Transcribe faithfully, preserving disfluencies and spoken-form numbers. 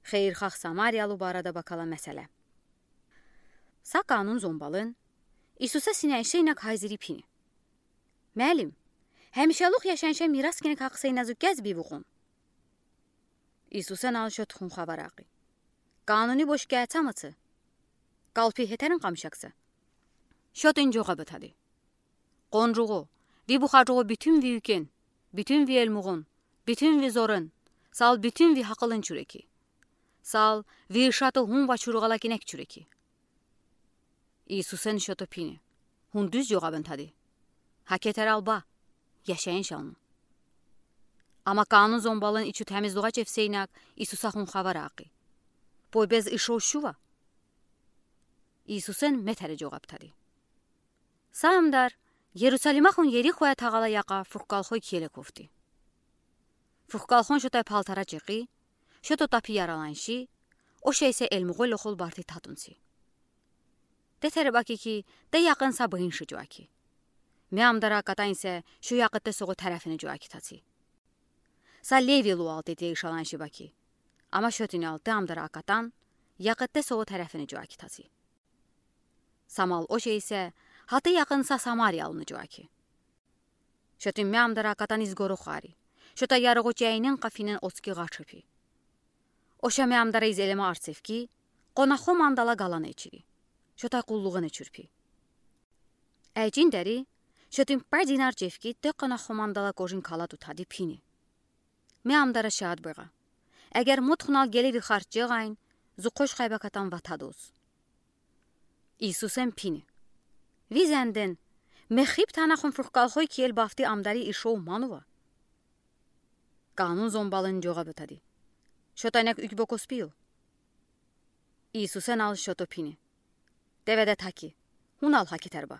Xeyirxah samariyalı barədə bəkala məsələ. Sa qanun zombalın İsusə sinəşeynək hayziri pini: Məlim, həmişəluq yaşanşə miras kinək haqqıseynə zıkkəz bivıxon? İsusən al şo tuxun xəvər haqqı: Qanuni boş kəəçəmıçı? Qalpi hetərin qamşəqsə? Şotin coğab ətədi: Qoncuğu, vi buxacuğu bütün vi üken, bütün vi elmuğun, bütün vi zorın, sal bütün vi haqılın çürəki. Sal vi ışatı hun və çürüğələ kinək çürəki. İsusən şoto pini: Hun düz coğab ətədi. Həketər alba, yaşayış alın. Amma qanun zombalın içu təmizluğa çevseynək İsusə hun xəvər haqqı: Poy bez ışo şuva? İsusən metəri coğab ətədi: Sa amdar Yerusaliməxon Yerixoyə tağalə yaqa fırqalxoy kiyələ kovdi. Fırqalxon şotay paltarə çexi, şoto tapi yaralanşi, oşə isə elmuğoy loxol barti tatunsi. Detəri bəki ki, de yaqın sa bıınşi coəki. Mə amdarə əkətən isə şo yaqıtte soğu tərəfini coəki taçi. Sa Levi lualtı de ışalanşi bəki. Amma şotin altı amdarə əkətən yaqıtte soğu tərəfini coəki taçi. Samal oşə isə hətı yaqın sa samariyalını coəki. Şotin mə amdarə əkətən izqor oxari. Şota yarığo çəynin qafinen otski ğaç pi. Oşə mə amdarə iz elemə artsevki, qonaxo mandala qalan eçiri. Şotay qulluğın eçürpi. Əçin dəri şotin pə dinar çevki de qonaxo mandala kožin kalat utədi pini: Mə amdarə şaat bığa. Əgər motxunal qelevi xarc ceğayn, zu qoş xəybəkətən vətədoz. İsusən pini: Vi zəndən, mə xib tənaxon fırqalxoy kiyəl bavti amdari ışo manuva? Qanun zombalın coğab ətədi: Şotay nək ükbokos piyo. İsusən al şoto pini: Devedə taki, hun al həketər bə.